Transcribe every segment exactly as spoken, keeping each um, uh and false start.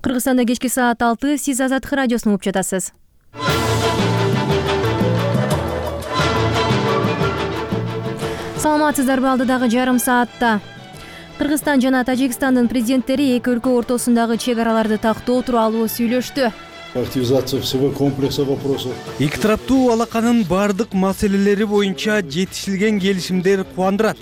Кыргызстанда кечки саат алты, сиз Азаттык радиосун угуп жатасыз. Саламатсыздарбы? Алдыдагы жарым саатта Кыргызстан жана Тажикстандын президенттери эки өлкө ортосундагы чек араларды тактоо тууралуу сүйлөштү. Активизация всего комплекса вопросов. Эки тараптуу алаканын бардык маселелери боюнча жетишилген келишимдер кубандырат.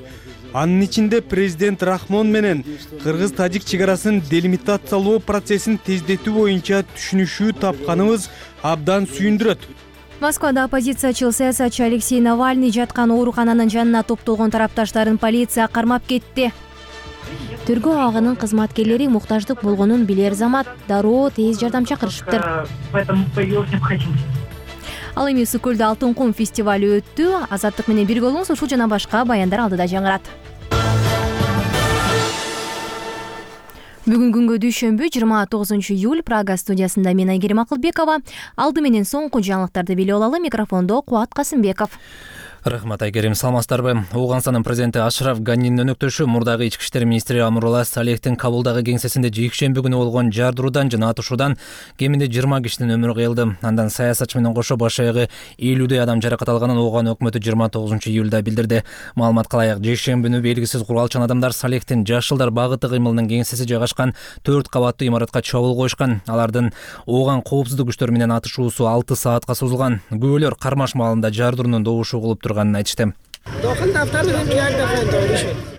Анын ичинде президент Рахмон менен кыргыз-тажик чек арасын делимитациялоо процессин тездетүү боюнча түшүнүшүү тапканыбыз абдан сүйүндүрөт. Москвада оппозициячыл саясатчы Алексей Навальный жаткан оорукананын жанына топтолгон тарапташтарын полиция кармап кетти. Тергөө абагынын кызматкерлери муктаждык болгонун билер замат дароо тез жардам чакырышыптыр. Ал эми Ысык көлдө Алтын кум фестивалю өттү. Азаттык менен бирге болуңуз, ушул жана башка баяндар алдыда жаңырат. Бүгүн күнгө дүйшөмбү жыйырма тогузунчу июль. Прага студиясында мен Айгерим Акылбекова. Алды менен соңку жаңылыктарды билип алалы. Микрофондо Кубат Касымбеков. Рахмат, Айгерим, саламатсыздарбы? Ооганстанын президенти Ашраф Ганинин өнөктөшү мурдагы ички иштер министри Амурулла Салехтин Кабулдагы кеңсесинде жекшемби күнү болгон жардыруудан жана атышуудан кеминде жыйырма кишинин өмүрү кыйылды. Андан саясатчы менен кошо баш аягы элүүдөй адам жаракат алганын Ооган өкмөтү жыйырма тогузунчу июлда билдирди. Маалымат кылайык, жекшемби күнү белгисиз куралчан адамдар Салехтин жаш жылдар багыты кыймылынын кеңсеси жайгашкан төрт кабаттуу имаратка чабуул коюшкан. Алардын Ооган коопсуздук күчтөрү менен атышуусу алты саатка созулган. Күбөлөр кармаш маалында жардыруунун добушу угулуп турганын айтышты.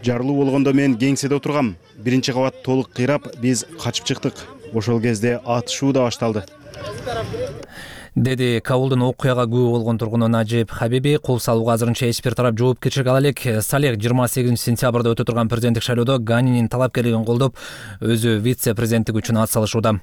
Жарылуу болгондо мен кеңседе отургам. Биринчи кабат толук кыйрап, биз качып чыктык. Ошол кезде атышуу да башталды, деди Кабулдун окуяга күбө болгон тургуну Нажип Хабиби. Кол салууга азырынча эч бир тарап жоопкерчилик ала элек. Салех жыйырма сегизинчи сентябрда өтө турган президенттик шайлоодо Ганинин талапкерлигин колдоп, өзү вице-президенттик үчүн ат салышууда.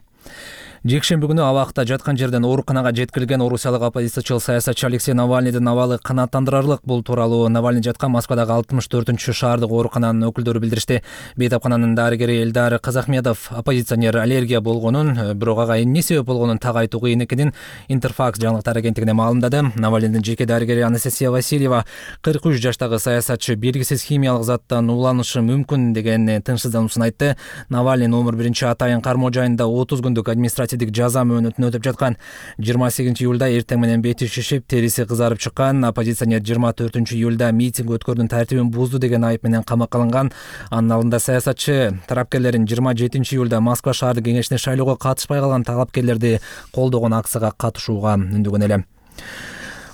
Жекшемби күнү абакта жаткан жерден ооруканага жеткирилген орусиялык оппозициячыл саясатчы Алексей Навальныйдын абалы канааттандырарлык. Бул тууралуу Навальный жаткан Москвадагы алтымыш төртүнчү шаардык оорукананын өкүлдөрү билдиришти. Бейтапкананын дарыгери Элдар Казахмедов оппозиционер аллергия болгонун, бирок ага эмне себеп болгонун так айтуу кыйын экенин Интерфакс жаңылыктар агенттигине маалымдады. Навальныйдын жеке дарыгери Анастасия Васильева кырк үч жаштагы саясатчы белгисиз химиялык заттан ууланышы мүмкүн деген тынчсыздануусун айтты. Навальный номер биринчи Атайын кармоо жайында отуз күндүк административдик жаза мөөнөтүн өтөп жаткан. жыйырма сегизинчи июлда эртең менен бети шишип, териси кызарып чыккан. Оппозиционер жыйырма төртүнчү июлда митинг өткөрүүнүн тартибин бузду деген айып менен камакка алынган. Анын алдында саясатчы тарапкерлерин жыйырма жетинчи июлда Москва шаардык кеңешине шайлоого катышпай калган талапкерлерди колдогон акцияга катышууга үндөгөн эле.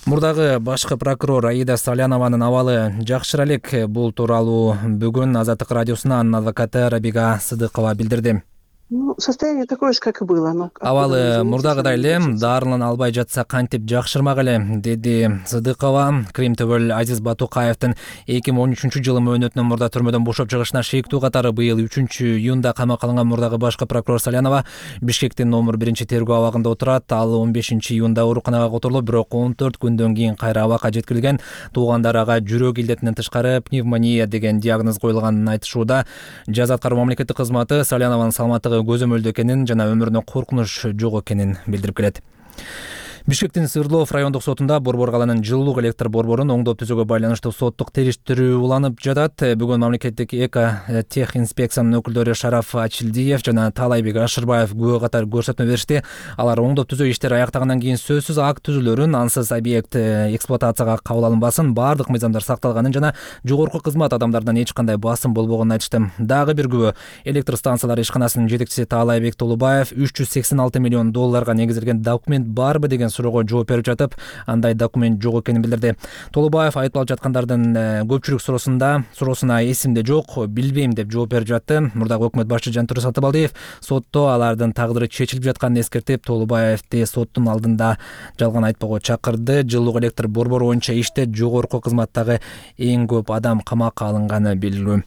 Мурдагы башкы прокурор Аида Салянованын абалы жакшыра элек. Бул тууралуу бүгүн Азаттык радиосуна анын адвокаты Рабига Сыдыкова билдирди. Ну, состояние такое же, как и было. Но... Абалы мурдагыдай эле, дарылан албай жатса кантип жакшырмак эле, деди Сыдыкова. Крим төбөл Азиз Батукаевдин эки миң он үчүнчү жылы мөөнөтүнөн мурда түрмөдөн бошоп чыгышына шектүү катары быйыл үчүнчү июнда камакка алынган мурдагы башкы прокурор Салянова Бишкектин номер биринчи тергөө абагында отурат. Ал он бешинчи июнда ооруканага которулуп, бирок он төрт күндөн кийин кайра абакка жеткирилген. Туугандары ага жүрөк илдетинен тышкары пневмония деген диагноз коюлганын айтышууда. Жаза аткаруу мамлекеттик кызматы Салянованын саламаттыгы көзөмөлдүү экенин жана өмүрүнө коркунуч жок экенин билдирип келет. Бишкектин Свердлов райондук сотунда Борбор каланын жылуулук электр борборун оңдоп түзүүгө байланыштуу соттук териштирүү уланып жатат. Бүгүн мамлекеттик эко тех инспекциянын өкүлдөрү Шараф Ачилдиев жана Таалайбек Ашырбаев күбө катары көрсөтмө беришти. Алар оңдоп түзөө иштери аяктагандан кийин сөзсүз акт түзүлөрүн, ансыз объект эксплуатацияга кабыл алынбасын, баардык мыйзамдар сакталганын жана жогорку кызмат адамдарынан эч кандай басым болбогонун айтышты. Дагы бир күбө электр станциялары ишканасынын жетекчиси Таалайбек Толубаев үч жүз сексен алты миллион долларга негизделген документ барбы деген суроого жооп берип жатып, андай документ жок экенин билдирди. Толубаев айыпталып жаткандардын көпчүлүк суроосунда суроосуна эсимде жок, билбейм деп жооп берип жатты. Мурдагы өкмөт башчы Жантүрө Сатыбалдиев сотто алардын тагдыры чечилип жатканын эскертип, Толубаевди соттун алдында жалган айтпоого чакырды. Жылуулук электр борбору боюнча иште жогорку кызматтагы эң көп адам камакка алынганы белгилүү.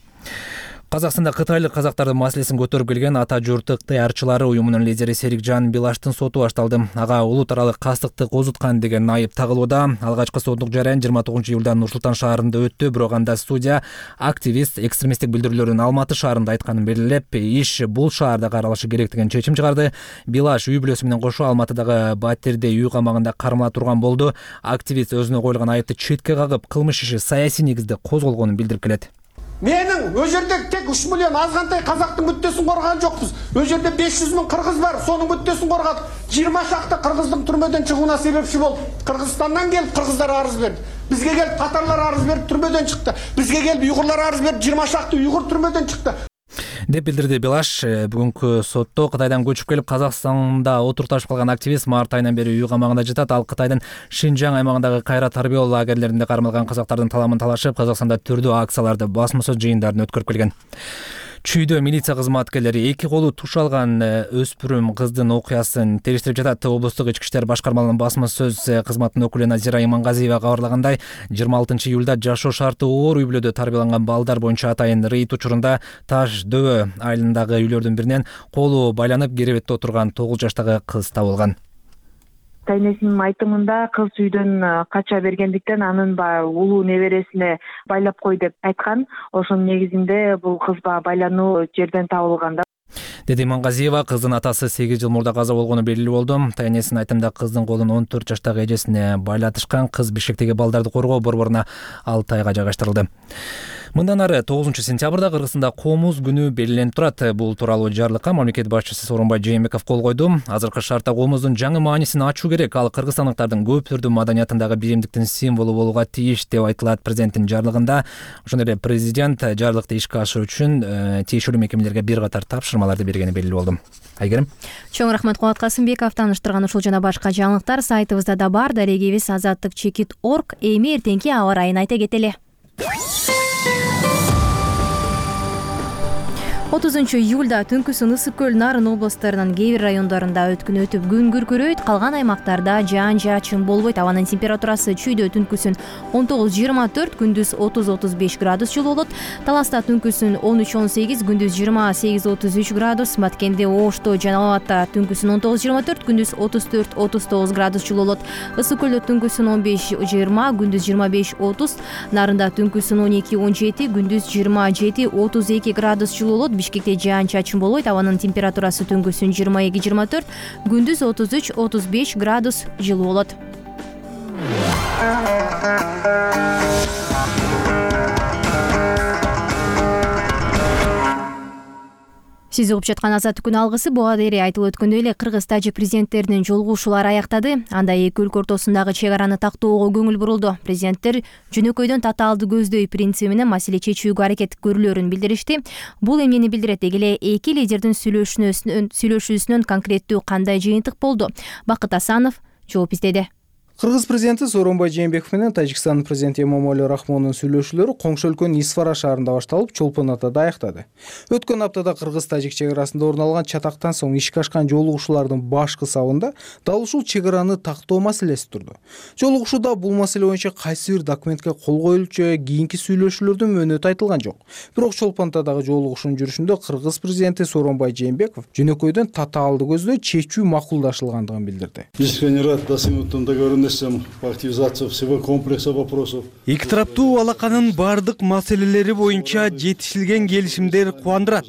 Казакстанда кытайлык казактардын маселесин көтөрүп келген Ата журт ыктыярчылары уюмунун лидери Серикжан Билаштын соту башталды. Ага улут аралык кастыкты козуткан деген айып тагылууда. Алгачкы соттук жаран жыйырма тогузунчу июлда Нур Султан шаарында өттү, бирок анда судья активист экстремисттик билдирүүлөрдүн Алматы шаарында айтканын белгилеп, иш бул шаарда каралышы керек деген чечим чыгарды. Билаш үй бүлөсү менен кошо Алматыдагы Батирде үй камагында кармала турган болду. Активист өзүнө коюлган айыпты четке кагып, кылмыш иши саясий негизде козголгонун билдирип келет. Менің о жерде тек үч миллион азғантай қазақтың мүддесін қорған жоқпыз. О жерде беш жүз мың қырғыз бар, соның мүддесін қорғадық. жыйырма шақты қырғыздың түрмеден шығуына себепші болды. Қырғызстаннан келіп қырғыздар арыз берді. Бізге келіп татарлар арыз беріп түрмеден шықты. Бізге келіп ұйғырлар арыз беріп жыйырма шақты ұйғыр түрмеден шықты. деп билдирди Белаш. Бүгүнкү сотто Кытайдан көчүп келип Казакстанда отурташып калган активист март айынан бери үй камагында жатат. Ал Кытайдын Шинжаң аймагындагы кайра тарбиялоо лагерлеринде кармалган казактардын таламын талашып, Казакстанда түрдүү акцияларды, басма сөз жыйындарын өткөрүп келген. Чүйдө милиция кызматкерлери эки колу туш алган өспүрүм кыздын окуясын териштирип жатат. Облустук ички иштер башкармалыгынын басма сөз кызматынын өкүлү Назира Имангазиева кабарлагандай, жыйырма алтынчы июлда жашоо шарты оор үй бүлөдө тарбияланган балдар боюнча атайын рейд учурунда Таш дөбө айылындагы үйлөрдүн биринен колу байланып керебетте отурган тогуз жаштагы кыз табылган. Тайнесинин айтымында кыз үйдөн кача бергендиктен анын баягы улуу небересине байлап кой деп айткан. Ошонун негизинде бул кыз баягы байлануу жерден табылган да. Деди Имангазиева, кыздын атасы сегиз жыл мурда каза болгону белгилүү болду. Тайнесинин айтымында кыздын колун он төрт жаштагы эжесине байлатышкан. Кыз Бишкектеги балдарды коргоо борборуна алты айга жайгаштырылды. Мындан ары тогузунчу сентябрда Кыргызстанда Комуз күнү белгиленип турат. Бул тууралуу жарлыкка мамлекет башчысы Сооронбай Жээнбеков кол койду. Азыркы шартта комуздун жаңы маанисин ачуу керек. Ал кыргызстандыктардын көп түрдүү маданиятындагы биримдиктин символу болууга тийиш деп айтылат президенттин жарлыгында. Ошондой эле президент жарлыкты ишке ашыруу үчүн тиешелүү мекемелерге бир катар тапшырмаларды бергени белгилүү болду. Айгерим. Чоң рахмат Кубат Касымбеков. Тааныштырган ушул жана башка жаңылыктар сайтыбызда да бар. Дарегибиз азаттык чекит точка орг. Эми эртеңки аба ырайын айта кетели. отузунчу июлда түнкүсүн Ысык көл, Нарын областарынын кээ бир райондорунда өткүн өтүп күн күркүрөйт, калган аймактарда жаан-жаачын болбойт. Абанын температурасы чүйдө түнкүсүн он тогуз жыйырма төрт, күндүз отуз отуз беш градус жылуу болот. Таласта түнкүсүн он үч он сегиз, күндүз жыйырма сегиз отуз үч градус. Маткенде, Ошто жана Абатта түнкүсүн он тогуз жыйырма төрт, күндүз отуз төрт отуз тогуз градус жылуу болот. Ысык көлдө түнкүсүн он беш жыйырма, күндүз жыйырма беш отуз. Нарында түнкүсүн он эки он жети, күндүз жыйырма жети отуз эки градус жылуу болот. Бишкекте жаан-чачын болбойт. Абанын температурасы түнкүсүн жыйырма эки жыйырма төрт, күндүз отуз үч отуз беш градус жылуу болот. Сиз угуп жаткан Азаттык күн алгысы. Буга дейин айтылып өткөндөй эле кыргыз тажик президенттеринин жолугушуулары аяктады. Анда эки өлкө ортосундагы чек араны тактоого көңүл бурулду. Президенттер жөнөкөйдөн татаалды көздөй принциби менен маселе чечүүгө аракет көрүлөрүн билдиришти. Бул эмнени билдирет? Деги эле эки лидердин сүйлөшүүсүнөн конкреттүү кандай жыйынтык болду? Бакыт Асанов жооп издеди. Кыргыз президенти Сооронбай Жээнбеков менен Тажикстандын президенти Эмомали Рахмондун сүйлөшүүлөрү коңшу өлкөнүн Исфара шаарында башталып, Чолпон Атада аяктады. Өткөн аптада кыргыз-тажик чек арасында орун алган чатактан соң ишке ашкан жолугушуулардын башкы сабында дал ушул чек араны тактоо маселеси турду. Жолугушууда бул маселе боюнча кайсы бир документке кол коюлчу, кийинки сүйлөшүүлөрдүн мөөнөтү айтылган жок. Бирок Чолпон Атадагы жолугушуунун жүрүшүндө кыргыз президенти Сооронбай Жээнбеков жөнөкөйдөн татаалды көздөй чечүү макулдашылгандыгын билдирди. Искренне рад достигнутым договоренностям по активизации всего комплекса вопросов. Эки тараптуу алаканын бардык маселелери боюнча жетишилген келишимдер кубандырат.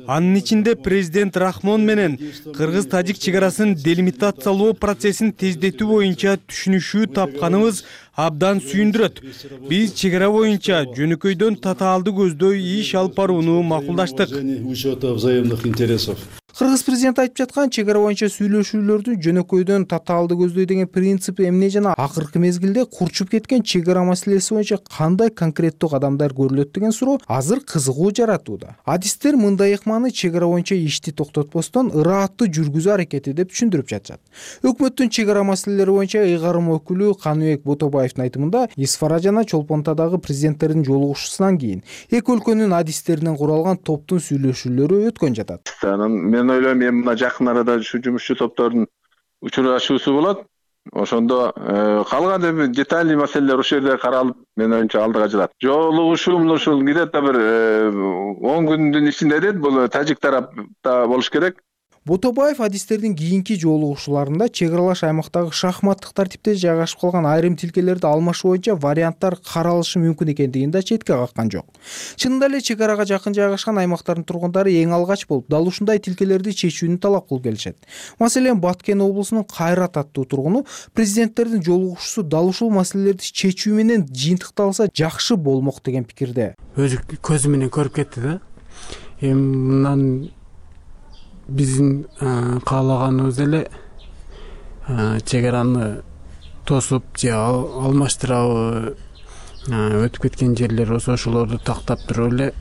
Анын ичинде президент Рахмон менен кыргыз-тажик чек арасын делимитациялоо процессин тездетүү боюнча түшүнүшүү тапканыбыз абдан сүйүндүрөт. Биз чек ара боюнча жөнөкөйдөн татаалды көздөй иш алып барууну макулдаштык. Учета взаимных интересов. Кыргыз президенти айтып жаткан чек ара боюнча сүйлөшүүлөрдү жөнөкөйдөн татаалды көздөй деген принцип эмне жана акыркы мезгилде курчуп кеткен чек ара маселеси боюнча кандай конкреттүү кадамдар көрүлөт деген суроо азыр кызыгуу жаратууда. Адистер мындай ыкманы чек ара боюнча ишти токтотпостон ырааттуу жүргүзүү аракети деп түшүндүрүп жатышат. Өкмөттүн чек ара маселелери боюнча ыйгарым өкүлү Каныбек Ботобаевдин айтымында Исфара жана Чолпон Атадагы президенттердин жолугушуусунан кийин эки өлкөнүн адистеринен куралган топтун сүйлөшүүлөрү өткөн жатат. Мен ойлойм, эми мына жакын арада ушу жумушчу топтордун учурашуусу болот. Ошондо калган эми детальный маселелер ошол жерде каралып, мен оюмча алдыга жылат. Жолугушуу ушул где-то бир он күндүн ичинде дейт, бул тажик тарапта болуш керек. Ботобаев адистердин кийинки жолугушууларында чек аралаш аймактагы шахматтык тартипте жайгашып калган айрым тилкелерди алмашуу боюнча варианттар каралышы мүмкүн экендигин да четке каккан жок. Чынында эле чек арага жакын жайгашкан аймактардын тургундары эң алгач болуп дал ушундай тилкелерди чечүүнү талап кылып келишет. Маселен, Баткен облусунун Кайрат аттуу тургуну президенттердин жолугушуусу дал ушул маселелерди чечүү менен жыйынтыкталса жакшы болмок деген пикирде. Өзү көзү менен көрүп кетти да. Эми мындан биздин каалаганыбыз эле чек араны тосуп же алмаштырабы, өтүп кеткен жерлер болсо ошолорду тактап туруп эле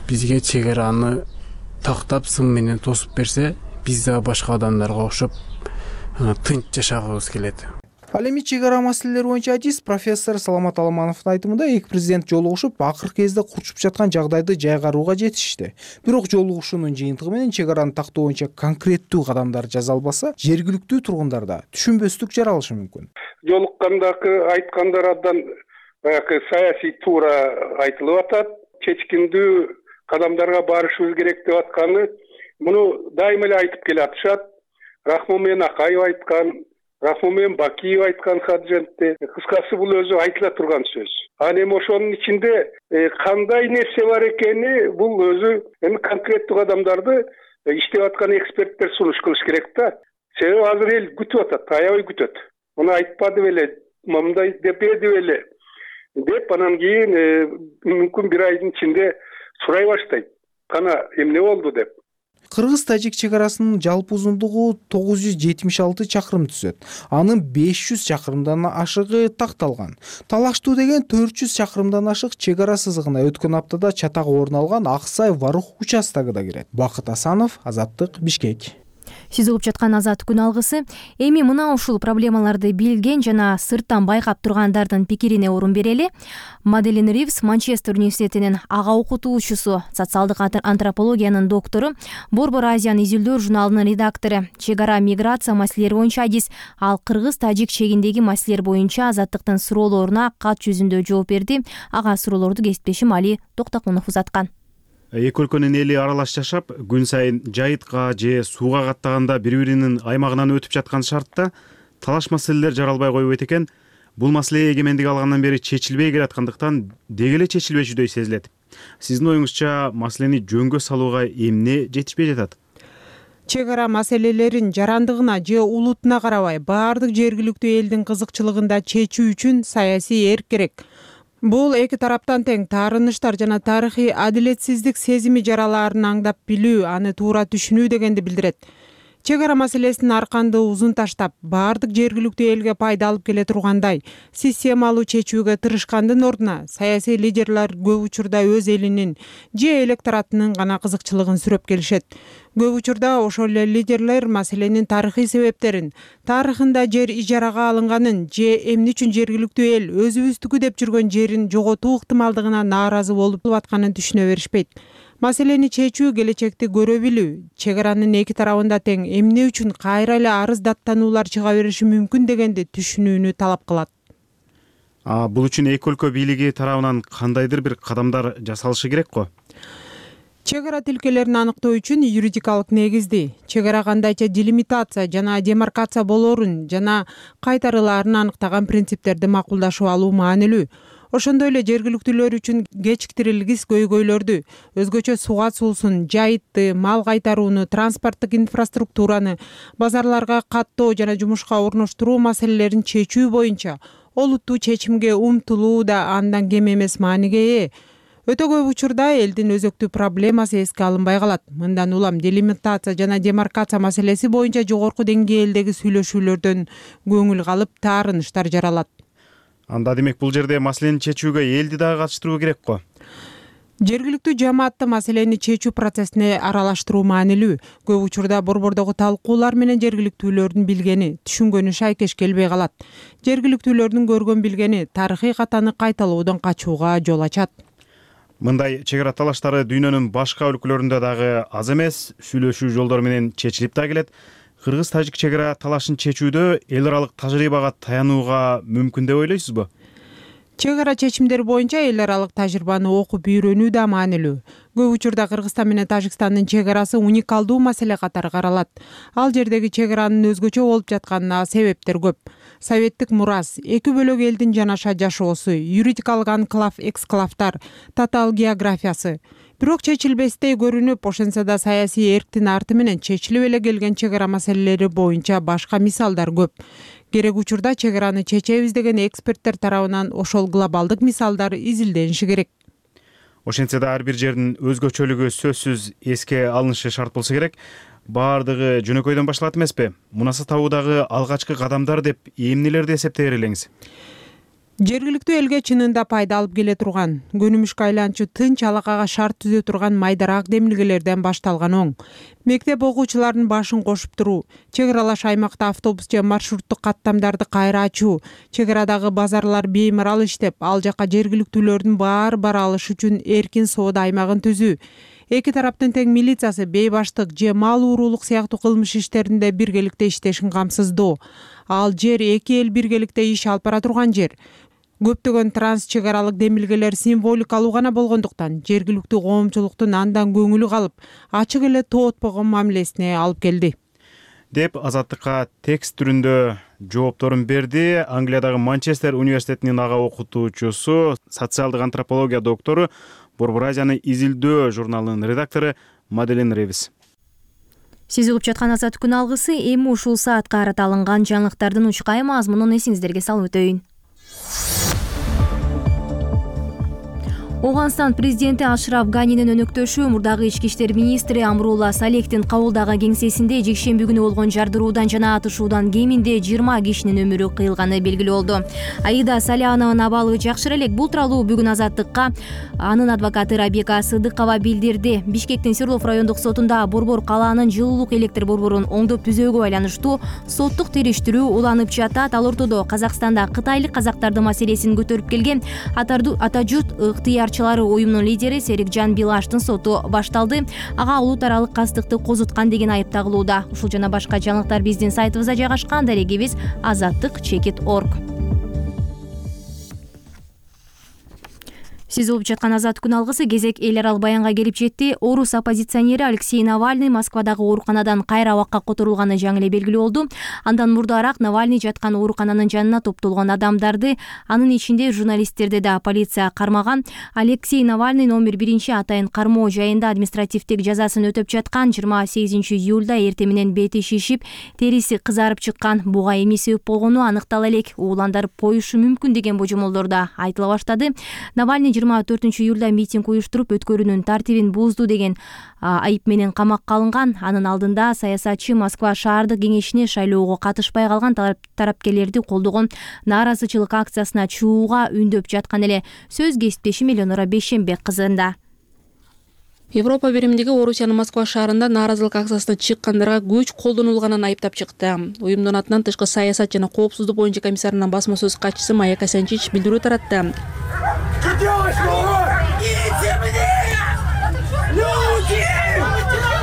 бизге чек араны тактап сым менен тосуп берсе, биз да башка адамдарга окшоп тынч жашагыбыз келет. Ал эми чек ара маселелери боюнча адис профессор Саламат Аламановдун айтымында эки президент жолугушуп, акыркы кезде курчуп жаткан жагдайды жайгарууга жетишти. Бирок жолугушуунун жыйынтыгы менен чек араны тактоо боюнча конкреттүү кадамдар жасалбаса, жергиликтүү тургундарда түшүнбөстүк жаралышы мүмкүн. Жолуккандагы айткандардан баягы саясий туура айтылып атат, чечкиндүү кадамдарга барышыбыз керек деп атканы муну дайыма эле айтып келатышат. Рахмон менен Акаев айткан, Рахмон менен Бакиев айткан Хаджентте. Кыскасы бул өзү айтыла турган сөз. Анан эми ошонун ичинде кандай нерсе бар экени бул өзү эми конкреттүү кадамдарды иштеп аткан эксперттер сунуш кылыш керек да. Себеби азыр эл күтүп атат, аябай күтөт. Муну айтпады беле, мындай деп берди беле деп анан кийин мүмкүн бир айдын ичинде сурай баштайт. Кана эмне болду деп. Кыргыз-тажик чек арасынын жалпы узундугу тогуз жүз жетимиш алты чакырым түзөт. Анын беш жүз чакырымдан ашыгы такталган. Талаштуу деген төрт жүз чакырымдан ашык чек ара сызыгына өткөн аптада чатак орун алган Аксай-Варух участогу да кирет. Бакыт Асанов, Азаттык, Бишкек. Сиз угуп жаткан Азаттык күн алгысы. Эми мына ушул проблемаларды билген жана сырттан байкап тургандардын пикирине орун берели. Маделин Ривз, Манчестер университетинин ага окутуучусу, социалдык антропологиянын доктору, Борбор Азиянын изилдөө журналынын редактору, чек ара миграция маселелери боюнча адис, ал кыргыз-тажик чегиндеги маселелер боюнча Азаттыктын суроолоруна кат жүзүндө жооп берди. Ага суроолорду кесиптешим Али Токтокунов узаткан. Эки өлкөнүн эли аралаш жашап, күн сайын жайытка же сууга каттаганда бири-биринин аймагынан өтүп жаткан шартта талаш маселелер жаралбай койбойт экен. Бул маселе эгемендик алгандан бери чечилбей келаткандыктан деги эле чечилбешүдөй сезилет. Сиздин оюңузча маселени жөнгө салууга эмне жетишпей жатат? Чек ара маселелерин жарандыгына же улутуна карабай баардык жергиликтүү элдин кызыкчылыгында чечүү үчүн саясий эрк керек. Бул эки тараптан тең таарыныштар жана тарыхый адилетсиздик сезими жаралаарын аңдап билүү, аны туура түшүнүү дегенди билдирет. Чек ара маселесин арканды узун таштап, баардык жергиликтүү элге пайда алып келе тургандай системалуу чечүүгө тырышкандын ордуна саясий лидерлер көп учурда өз элинин же электоратынын гана кызыкчылыгын сүрөп келишет. Көп учурда ошол эле лидерлер маселенин тарыхый себептерин, тарыхында жер ижарага алынганын же эмне үчүн жергиликтүү эл өзүбүздүкү деп жүргөн жерин жоготуу ыктымалдыгына нааразы болуп атканын түшүнө беришпейт. Маселени чечүү, келечекти көрө билүү, чек аранын эки тарабында тең эмне үчүн кайра эле арыз даттануулар чыга бериши мүмкүн дегенди түшүнүүнү талап кылат. А бул үчүн эки өлкө бийлиги тарабынан кандайдыр бир кадамдар жасалышы керек го? Чек ара тилкелерин аныктоо үчүн юридикалык негизди, чек ара кандайча делимитация жана демаркация болоорун жана кайтарылаарын аныктаган принциптерди макулдашып алуу маанилүү. Ошондой эле жергиликтүүлөр үчүн кечиктирилгис көйгөйлөрдү, өзгөчө суга суусун, жайытты, мал кайтарууну, транспорттук инфраструктураны, базарларга каттоо жана жумушка орноштуруу маселелерин чечүү боюнча олуттуу чечимге умтулуу да андан кем эмес мааниге ээ. Өтө көп учурда элдин өзөктүү проблемасы эске алынбай калат. Мындан улам делимитация жана демаркация маселеси боюнча жогорку деңгээлдеги сүйлөшүүлөрдөн көңүл калып, таарыныштар жаралат. Анда демек бул жерде маселени чечүүгө элди дагы катыштыруу керек го? Жергиликтүү жамаатты маселени чечүү процессине аралаштыруу маанилүү. Көп учурда борбордогу талкуулар менен жергиликтүүлөрдүн билгени, түшүнгөнү шайкеш келбей калат. Жергиликтүүлөрдүн көргөн билгени тарыхый катаны кайталоодон качууга жол ачат. Мындай чек ара талаштары дүйнөнүн башка өлкөлөрүндө дагы аз эмес, сүйлөшүү жолдору менен чечилип да келет. Кыргыз-тажик чек ара талашын чечүүдө эл аралык тажрыйбага таянууга мүмкүн деп ойлойсузбу? чек ара чечимдери боюнча эл аралык тажрыйбаны окуп үйрөнүү да маанилүү. Көп учурда Кыргызстан менен Тажикстандын чек арасы уникалдуу маселе катары каралат. Ал жердеги чек аранын өзгөчө болуп жатканына себептер көп. Советтик мурас, эки бөлөк элдин жанаша жашоосу, юридикалык анклав, эксклавдар, татаал географиясы. Бирок чечилбестей көрүнүп, ошентсе да саясий эрктин арты менен чечилип эле келген чек ара маселелери боюнча башка мисалдар көп. Керек учурда чек араны чечебиз деген эксперттер тарабынан ошол глобалдык мисалдар изилдениши керек. Ошентсе да ар бир жердин өзгөчөлүгү сөзсүз эске алынышы шарт болсо керек. Баардыгы жөнөкөйдөн башталат эмеспи? Мунасы табуудагы алгачкы кадамдар деп эмнелерди эсептей элеңиз? Жергиликтүү элге чынында пайда алып келе турган, көнүмүшкө айланчу тынч алакага шарт түзө турган майдарак демилгелерден башталган оң. Мектеп окуучуларынын башын кошуп туруу, чек аралаш аймакта автобус же маршруттук каттамдарды кайра ачуу, чек арадагы базарлар беймарал иштеп, ал жака жергиликтүүлөрдүн баары бара алышы үчүн эркин соода аймагын түзүү. Эки тараптын тең милициясы, бейбаштык же мал уурулук сыяктуу кылмыш иштеринде биргеликте иштешин камсыздоо. Ал жер эки эл биргеликте иш алып бара турган жер. Көптөгөн транс чек аралык демилгелер символикалуу гана болгондуктан жергиликтүү коомчулуктун андан көңүлү калып, ачык эле тоотпогон мамилесине алып келди. Деп Азаттыкка текст түрүндө жоопторун берди Англиядагы Манчестер университетинин ага окутуучусу, социалдык антропология доктору, Борбор Азияны изилдөө журналынын редактору Маделин Ревис. Сиз угуп жаткан Азаттык күн алгысы эми ушул саатка карата алынган жаңылыктардын учкай мазмунун эсиңиздерге салып өтөйүн. Оганстан президенти Ашраф Ганинин өнөктөшү мурдагы ички иштер министри Амрула Салехтин кабылдагы кеңсесинде жекшемби күнү болгон жардыруудан жана атышуудан кеминде жыйырма кишинин өмүрү кыйылганы белгилүү болду. Аида Салянованын абалы жакшыраак элек. Бул тууралуу бүгүн Азаттыкка анын адвокаты Рабика Сыдыкова билдирди. Бишкектин Свердлов райондук сотунда Борбор калаанын жылуулук электр борборун оңдоп түзөөгө байланыштуу соттук териштирүү уланып жатат. Ал ортодо Казакстанда кытайлык казактардын маселесин көтөрүп келген Атажут ыктыяр уюмунун лидери Серикжан Билаштын соту башталды. Ага улут аралык кастыкты козуткан деген айып тагылууда. Ушул жана башка жаңылыктар биздин сайтыбызда жайгашкан. Дарегибиз азаттык чекит точка орг. Сиз угуп жаткан Азаттык күн алгысы кезек эл аралык баянга келип жетти. Орус оппозиционери Алексей Навальный Москвадагы ооруканадан кайра абакка которулганы жаңы эле белгилүү болду. Андан мурдараак Навальный жаткан оорукананын жанына топтолгон адамдарды, анын ичинде журналисттерди да полиция кармаган. Алексей Навальный номер биринчи атайын кармоо жайында административдик жазасын өтөп жаткан. жыйырма сегизинчи июлда эртең менен бети шишип, териси кызарып чыккан. Буга эмне себеп болгону аныктала элек. Ууландарып коюшу мүмкүн деген божомолдор да айтыла баштады. Навальный жыйырма төртүнчү июлда митинг уюштуруп, өткөрүүнүн тартибин бузду деген айып менен камакка алынган. Анын алдында саясатчы Москва шаардык кеңешине шайлоого катышпай калган тарапкерлерди колдогон нааразычылык акциясына чыгууга үндөп жаткан эле. Сөз кесиптешим Элеонора Бейшембек кызында. Европа биримдиги Орусиянын Москва шаарында нааразылык акциясына чыккандарга күч колдонулганын айыптап чыкты. Уюмдун атынан тышкы саясат жана коопсуздук боюнча комиссарынын басма сөз катчысы Майя Касянчич билдирүү таратты.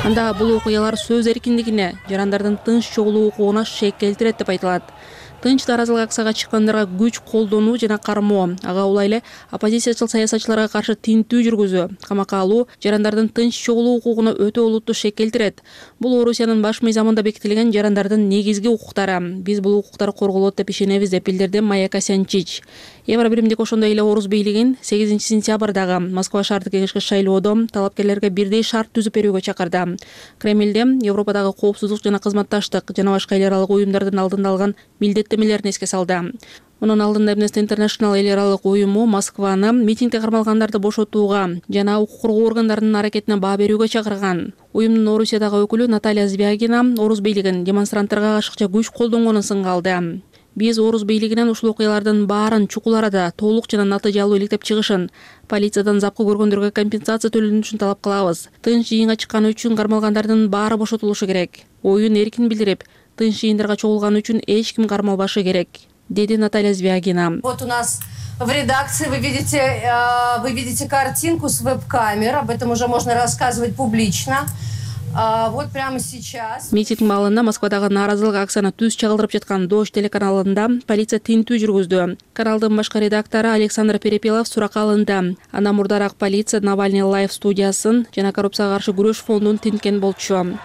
Анда бул окуялар сөз эркиндигине, жарандардын тынч чогулуу укугуна шек келтирет деп айтылат. Тынч нааразылык акцияга чыккандарга күч колдонуу жана кармоо, ага улай эле оппозициячыл саясатчыларга каршы тинтүү жүргүзүү, камакка алуу жарандардын тынч чогулуу укугуна өтө олуттуу шек келтирет. Бул Орусиянын баш мыйзамында бекитилген жарандардын негизги укуктары. Биз бул укуктар корголот деп ишенебиз деп билдирди Майя Касянчич. Евро биримдик ошондой эле Орус бийлигин сегизинчи сентябрдагы Москва шаардык кеңешке шайлоодо талапкерлерге бирдей шарт түзүп берүүгө чакырды. Кремльде Европадагы коопсуздук жана кызматташтык жана башка эл аралык уюмдардын алдында алган милдеттемелерин эске салды. Мунун алдында Amnesty International эл аралык уюму Москваны митингде кармалгандарды бошотууга жана укук коргоо органдарынын аракетине баа берүүгө чакырган. Уюмдун Орусиядагы өкүлү Наталья Звягина Орус бийлигин демонстранттарга ашыкча күч колдонгонун сынга алды. Биз Орус бийлигинен ушул окуялардын баарын чукул арада толук жана натыйжалуу иликтеп чыгышын, полициядан запкы көргөндөргө компенсация төлөнүшүн талап кылабыз. Тынч жыйынга чыкканы үчүн кармалгандардын баары бошотулушу керек. Оюн эркин билдирип, тынч жыйындарга чогулганы үчүн эч ким кармалбашы керек, деди Наталья Звягина. Вот у нас в редакции вы видите, вы видите картинку с веб-камер, об этом уже можно рассказывать публично. Вот прямо сейчас. Митинг маалында Москвадагы нааразылык акцияны түз чагылдырып жаткан Дождь телеканалында полиция тинтүү жүргүздү. Каналдын башкы редактору Александр Перепелов суракка алынды. Андан мурдараак полиция Навальный лайв студиясын жана коррупцияга каршы күрөш фондун тинткен болчу.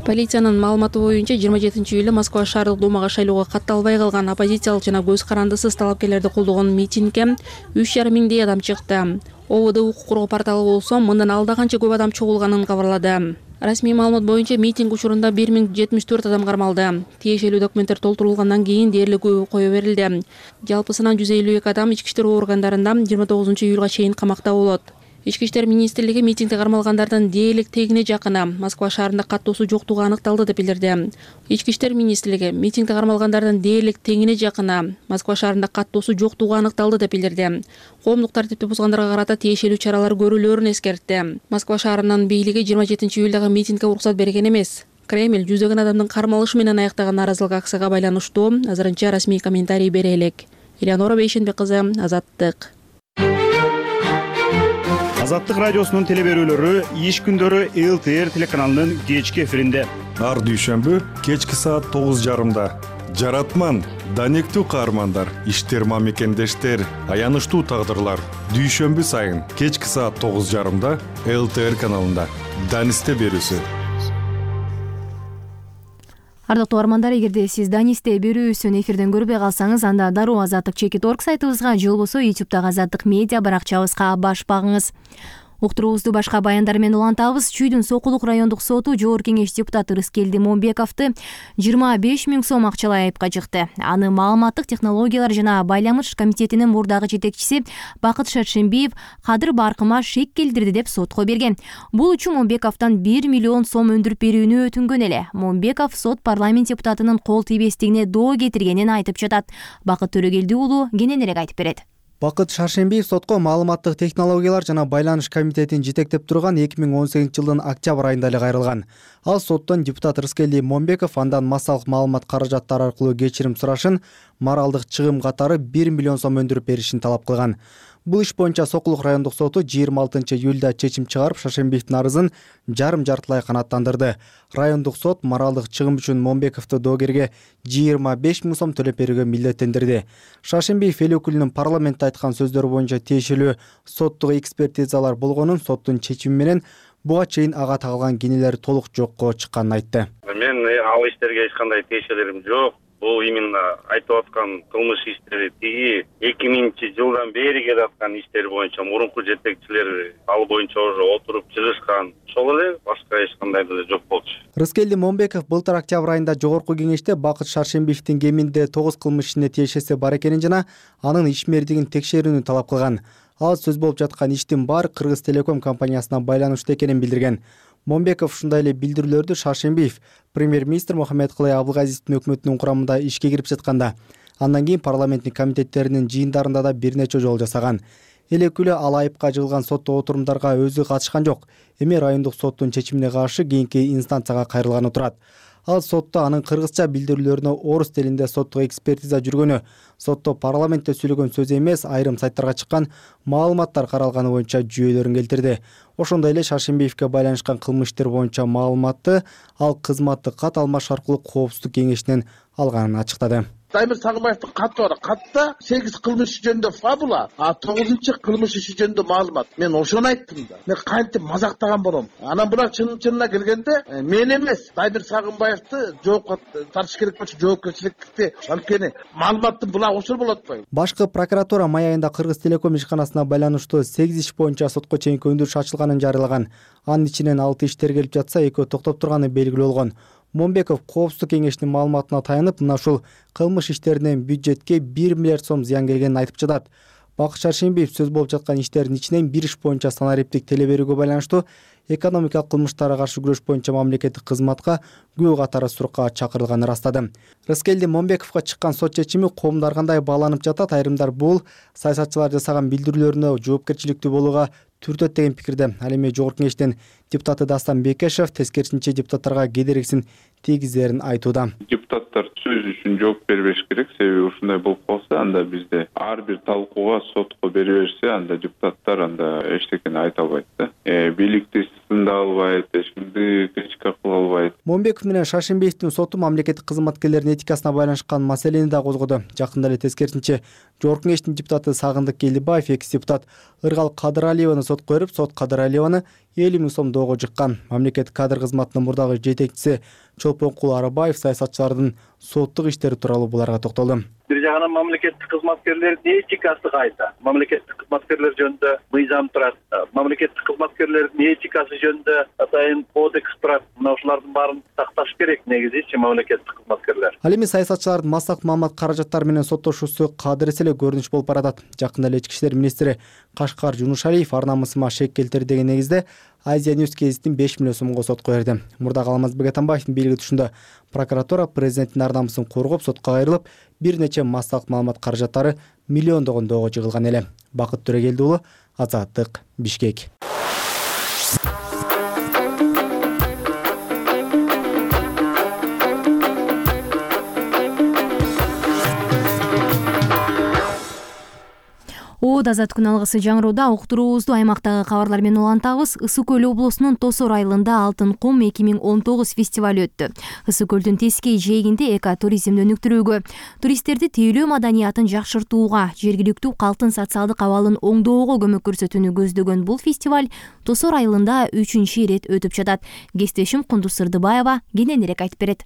Полициянын маалыматы боюнча жыйырма жетинчи июлда Москва шаардык думага шайлоого катталбай калган оппозициялык жана көз карандысыз талапкерлерди колдогон митингге үч жарым миңдей адам чыкты. О В Д укук коргоо порталы болсо мындан алда канча көп адам чогулганын кабарлады. Расмий маалымат боюнча митинг учурунда бир миң жетимиш төрт адам кармалды. Тиешелүү документтер толтурулгандан кийин дээрлик кое берилди. Жалпысынан жүз элүү эки адам ички иштер органдарында жыйырма тогузунчу июлга чейин камакта болот. Ички иштер министрлиги митингде кармалгандардын дээрлик тегине жакыны Москва шаарында каттоосу жоктугу аныкталды деп билдирди. Ички иштер министрлиги митингде кармалгандардын дээрлик тегине жакыны Москва шаарында каттоосу жоктугу аныкталды деп билдирди. Коомдук тартипти бузгандарга карата тиешелүү чаралар көрүлөөрүн эскертти. Москва шаарынын бийлиги жыйырма жетинчи июлдагы митингге уруксат берген эмес. Кремль жүздөгөн адамдын кармалышы менен аяктаган нааразылык акцияга байланыштуу азырынча расмий комментарий бере элек. Элеонора Бейшенбек кызы, Азаттык. Азаттык радиосунун теле берүүлөрү иш күндөрү Эл Т Р телеканалынын кечки эфиринде. Ар дүйшөмбү кечки саат тогуз жарымда. Жаратман, данектүү каармандар, иштер мамекендештер, аянычтуу тагдырлар. Дүйшөмбү сайын кечки саат тогуз жарымда Эл Т Р каналында. Данисте берүүсү. Ардактуу армандар, эгерде сиз Данисте берүүсүн эфирден көрбөй калсаңыз, анда дароо азаттык чекит точка орг сайтыбызга же болбосо ютубтагы Азаттык медиа баракчабызга баш багыңыз. Уктуруубузду башка баяндар менен улантабыз. Чүйдүн Сокулук райондук соту жогорку кеңеш депутаты Рыскелди Момбековду жыйырма беш миң сом акчалай айыпка жыкты. Аны маалыматтык технологиялар жана байламыш комитетинин мурдагы жетекчиси Бакыт Шаршембиев кадыр баркыма шек келтирди деп сотко берген. Бул үчүн Момбековдон бир миллион сом өндүрүп берүүнү өтүнгөн эле. Момбеков сот парламент депутатынын кол тийбестигине доо кетиргенин айтып жатат. Бакыт Төрөгелди уулу кененирээк айтып берет. Бакыт Шаршембиев сотко маалыматтык технологиялар жана байланыш комитетин жетектеп турган эки миң он сегизинчи жылдын октябрь айында эле кайрылган. Ал соттон депутат Рыскелди Момбеков андан массалык маалымат каражаттары аркылуу кечирим сурашын, моралдык чыгым катары бир миллион сом өндүрүп беришин талап кылган. Бул иш боюнча Сокулук райондук соту жыйырма алтынчы июлда чечим чыгарып, Шаршембиевдин арызын жарым-жартылай канааттандырды. Райондук сот моралдык чыгым үчүн Момбековду доогерге жыйырма беш миң сом төлөп берүүгө милдеттендирди. Шаршембиев эл өкүлүнүн парламентте айткан сөздөрү боюнча тиешелүү соттук экспертизалар болгонун, соттун чечими менен буга чейин ага тагылган кенелер толук жокко чыкканын айтты. Мен ал иштерге эч кандай тиешелерим жок. Бул именно айтып аткан кылмыш иштери тиги эки миңинчи жылдан бери келе аткан иштер боюнча мурунку жетекчилер ал боюнча уже отуруп чыгышкан. Ошол эле, башка эч кандай деле жок болчу. Рыскелди Момбеков былтыр октябрь айында жогорку кеңеште Бакыт Шаршембиевдин кеминде тогуз кылмыш ишине тиешеси бар экенин жана анын ишмердигин текшерүүнү талап кылган. Ал сөз болуп жаткан иштин баары Кыргыз Телеком компаниясына байланыштуу экенин билдирген. Момбеков ушундай эле билдирүүлөрдү Шаршембиев премьер-министр Мухаммедкулай Абылгазиевдин өкмөтүнүн курамында ишке кирип жатканда, андан кийин парламенттин комитеттеринин жыйындарында да бир нече жолу жасаган. Эл өкүлү ал айыпка жыгылган сотто отурумдарга өзү катышкан жок. Эми райондук соттун чечимине каршы кийинки инстанцияга кайрылганы турат. Ал сотто анын кыргызча билдирүүлөрүнө орус тилинде соттук экспертиза жүргөнү, сотто парламентте сүйлөгөн сөз эмес, айрым сайттарга чыккан маалыматтар каралганы боюнча жүйөлөрүн келтирди. Ошондой эле Шаршембиевге байланышкан кылмыштар боюнча маалыматты ал кызматты кат алмаш аркылуу коопсуздук кеңешинен алганын ачыктады. Даймир Сагынбаевдин каты бар. Катта сегиз кылмыш жөнүндө фабула, а тогузунчу кылмыш иши жөнүндө маалымат. Мен ошону айттым да. Мен кантип мазактаган болом. Анан бирок чын-чынына келгенде мен эмес, Даймир Сагынбаевди жоопко тартыш керек болчу, жоопкерчиликти анткени маалыматтын була ошол болот го. Башкы прокуратура май айында Кыргыз Телеком ишканасына байланыштуу сегиз иш боюнча сотко чейинки өндүрүш ачылганын жарыялаган. Анын ичинен алты иштер келип жатса, экөө токтоп турганы белгилүү болгон. Момбеков коопсуздук кеңешинин маалыматына таянып, мына ушул кылмыш иштеринен бюджетке бир миллиард сом зыян келгенин айтып жатат. Бакыт Шаршембиев сөз болуп жаткан иштердин ичинен бир иш боюнча санариптик теле берүүгө байланыштуу экономикалык кылмыштарга каршы күрөш боюнча мамлекеттик кызматка күбө катары суракка чакырылганын ырастады. Рыскелди Момбековго чыккан сот чечими коомдор кандай бааланып жатат? Айрымдар бул саясатчылар жасаган билдирүүлөрүнө жоопкерчиликтүү болууга түртөт деген пикирде. Ал эми жогорку кеңештин депутаты Дастан Бекешев тескерисинче депутаттарга кедергисин тийгизерин айтууда. Депутаттар сөз үчүн жооп бербеш керек. Себеби ушундай болуп калса, анда бизде ар бир талкууга сотко бере берсе, анда депутаттар анда эчтекени айта албайт да. Э, бийликти сында албайт, эч кимди критика кыла албайт. Момбеков менен Шашимбеевдин соту мамлекеттик кызматкерлердин этикасына байланышкан маселени да козгоду. Жакында эле тескерисинче Жогорку Кеңештин депутаты Сагындык Келдибаев экс депутат Ыргал Кадыралиеваны сотко берип, сот Кадыралиеваны элүү миң сом доого жыккан. Мамлекеттик кадр кызматынын мурдагы жетекчиси Чолпонкул Арабаев саясатчылардын соттук иштери тууралуу буларга токтолду. Бир жагынан мамлекеттик кызматкерлердин этикасы кайда? Мамлекеттик кызматкерлер жөнүндө мыйзам турат. Мамлекеттик кызматкерлердин этикасы жөнүндө атайын кодекс турат. Мына ушулардын баарын сакташ керек негизичи мамлекеттик кызматкерлер. Ал эми саясатчылардын Маслак Маамат каражаттары менен соттошуусу кадыр эле көрүнүш болуп баратат. Жакында эле ички иштер министри Кашкар Жунушалиев ар намысыма шек келтирди деген негизде Азия News гезитин беш миллион сомго сотко берди. Мурдагы Алмазбек Атамбаевдин бийлиги түшүндө прокуратура президенттин ар намысын коргоп сотко кайрылып, бир нече массалык маалымат каражаттары миллиондогон доого жыгылган эле. Бакыт Төрөгелди уулу, Азаттык, Бишкек. Оод азат күн алгысы жаңыроодо уктуруубузду аймактагы кабарлар менен улантабыз. Ысык көл облусунун Тосор айылында Алтын кум эки миң он тогуз фестиваль өттү. Ысык көлдүн тескей жээгинде экотуризмди өнүктүрүүгө, туристтерди тейлөө маданиятын жакшыртууга, жергиликтүү калктын социалдык абалын оңдоого көмөк көрсөтүүнү көздөгөн бул фестиваль Тосор айылында үчүнчү ирет өтүп жатат. Кесиптешим Кундуз Сырдыбаева кененирээк айтып берет.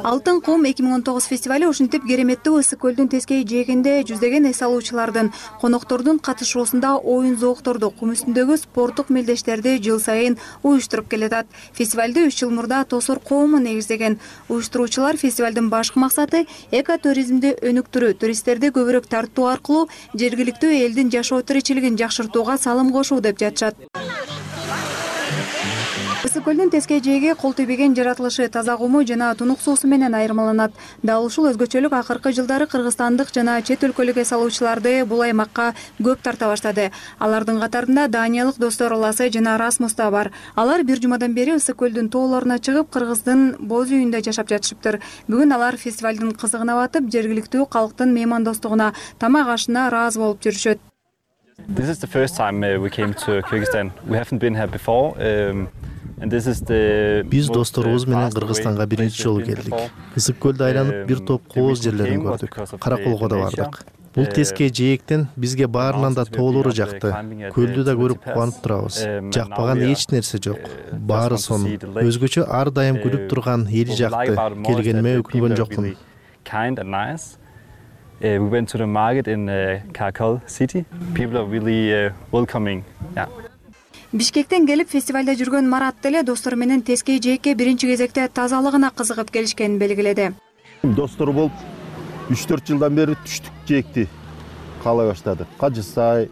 Алтын кум эки миң он тогуз фестивали ушинтип кереметтүү ысык көлдүн тескей жээгинде жүздөгөн эс алуучулардын, коноктордун катышуусунда оюн зоокторду, кум үстүндөгү спорттук мелдештерди жыл сайын уюштуруп келатат. Фестивалды үч жыл мурда Тосор коому негиздеген. Уюштуруучулар фестивалдын башкы максаты экотуризмди өнүктүрүү, туристтерди көбүрөөк тартуу аркылуу жергиликтүү элдин жашоо тиричилигин жакшыртууга салым кошуу деп жатышат. Ысык көлдүн тескей жээги кол тийбеген жаратылышы, таза куму жана тунук суусу менен айырмаланат. Дал ушул өзгөчөлүк акыркы жылдары кыргызстандык жана чет өлкөлүк эс алуучуларды бул аймакка көп тарта баштады. Алардын катарында Даниялык достор Ласы жана Расмус да бар. Алар бир жумадан бери ысык көлдүн тоолоруна чыгып, Кыргыздын боз үйүндө жашап жатышыптыр. Бүгүн алар фестивалдын кызыгына батып, жергиликтүү калктын меймандостугуна, тамак ашына ыраазы болуп жүрүшөт. This is the first time we came to Kyrgyzstan. We haven't been here before. Um... Биз досторубуз менен Кыргызстанга биринчи жолу келдик. Ысык көлдү айланып бир топ кооз жерлерин көрдүк. Караколго да бардык. Бул тескей жээктен бизге баарынан да тоолору жакты. Көлдү да көрүп кубанып турабыз. Жакпаган эч нерсе жок. Баары сонун. Өзгөчө ар дайым күлүп турган эли жакты. Келгениме өкүнгөн жокмун. We went to the market in Karakol city. People are really welcoming. Yeah. Бишкектен келип фестивалда жүргөн Марат деле достор менен тескей жээкке биринчи кезекте тазалыгына кызыгып келишкенин белгиледи. Достор болуп үч төрт жылдан бери түштүк жээкти каалай баштадык. Кажы Сай,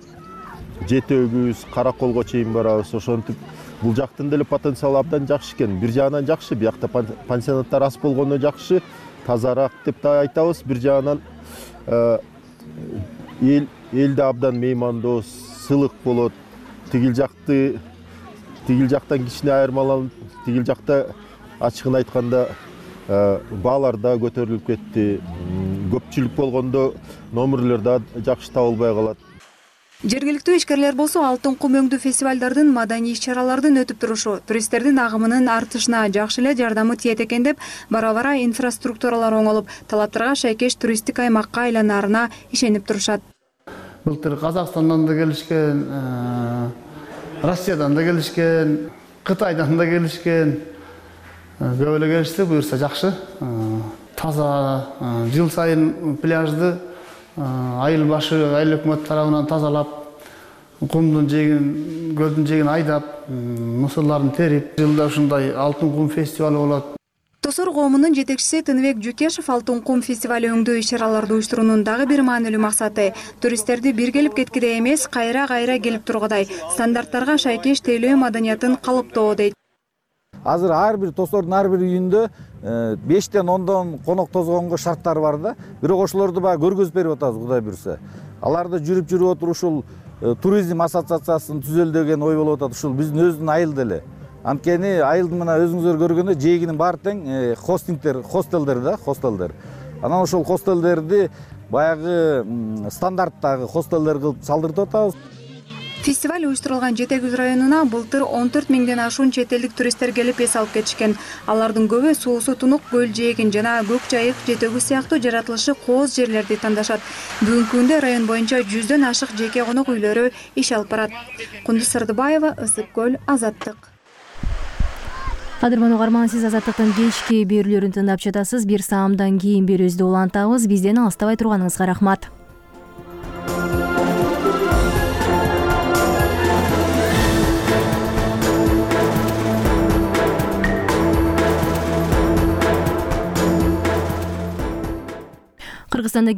Жети Өгүз, Караколго чейин барабыз. Ошентип бул жактын деле потенциалы абдан жакшы экен. Бир жагынан жакшы, биякта пансионаттар аз болгондо жакшы, тазараак деп да айтабыз. Бир жагынан эл элде абдан меймандос, сылык болот. Тигил жакты, тигил жактан кичине айырмаланып, тигил жакта ачыгын айтканда баалар да көтөрүлүп кетти. Көпчүлүк болгондо номерлер да жакшы табылбай калат. Жергиликтүү ишкерлер болсо Алтын кум өңдүү фестивалдардын, маданий иш-чаралардын өтүп турушу, туристтердин агымынын артышына жакшы эле жардамы тиет экен деп, бара-бара инфраструктуралар оңолуп, талаптарга шайкеш туристтик аймакка айланаарына ишенип турушат. Былтыр Казакстандан да келишкен, Россиядан да келишкен, Кытайдан да келишкен. Көп эле келишти, буюрса жакшы. Таза жыл сайын пляжды айыл башы айыл өкмөт тарабынан тазалап, кумдун жээгин, көлдүн жээгин айдап, мусурларын терип, жылда ушундай Алтын кум фестивалы болот. Тосор коомунун жетекчиси Тыныбек Жукешев Алтын кум фестивали өңдүү иш-чараларды уюштуруунун дагы бир маанилүү максаты туристтерди бир келип кеткидей эмес, кайра-кайра келип тургудай стандарттарга шайкеш тейлөө маданиятын калыптоо дейт. Азыр ар бир Тосордун ар бир үйүндө бештен ондон конок тозгонго шарттар бар да. Бирок ошолорду баягы көргөзүп берип атабыз, Кудай буйрса. Аларды жүрүп жүрүп отуруп ушул туризм ассоциациясын түзөлдөгөн ой болуп атат. Ушул биздин өзүнүн айыл деле. Анткени айылдын мына өзүңүздөр көргөндөй жээгинин баары тең хостингдер, хостелдер да, хостелдер. Анан ошол хостелдерди баягы стандарттагы хостелдер кылып салдыртып атабыз. Фестиваль уюштурулган Жети Күз районуна былтыр он төрт миңден ашуун чет элдик туристтер келип эс алып кетишкен. Алардын көбү суусу тунук көл жээгин жана Көк Жайык, Жети Күз сыяктуу жаратылышы кооз жерлерди тандашат. Бүгүнкү күндө район боюнча жүздөн ашык жеке конок үйлөрү иш алып барат. Кундуз Сырдыбаева, Ысык көл, Азаттык. Кадырман угарман, сиз Азаттыктын кечки берүүлөрүн тыңдап жатасыз. Бир саамдан кийин берүүбүздү улантабыз. Бизден алыстабай турганыңызга рахмат. Кыргызстанда